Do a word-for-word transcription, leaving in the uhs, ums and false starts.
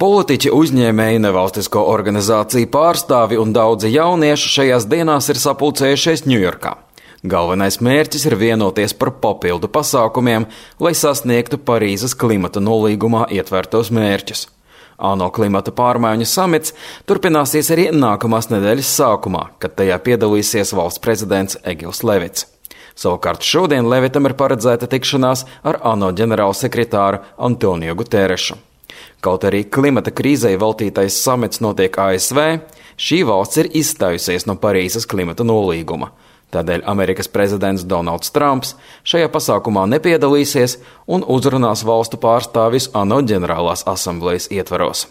Politiķi, uzņēmēji, nevalstisko organizāciju pārstāvi un daudzi jaunieši šajās dienās ir sapulcējušies Ņujorkā. Galvenais mērķis ir vienoties par papildu pasākumiem, lai sasniegtu Parīzes klimata nolīgumā ietvertos mērķus. ANO klimata pārmaiņu samits turpināsies arī nākamās nedēļas sākumā, kad tajā piedalīsies valsts prezidents Egils Levits. Savukārt šodien Levitam ir paredzēta tikšanās ar ANO ģenerālsekretāru Antonio Guterešu. Kaut arī klimata krīzei veltītais samits notiek A S V, šī valsts ir izstājusies no Parīzes klimata nolīguma. Tādēļ Amerikas prezidents Donalds Trumps šajā pasākumā nepiedalīsies un uzrunās valstu pārstāvis ANO ģenerālās asamblejas ietvaros.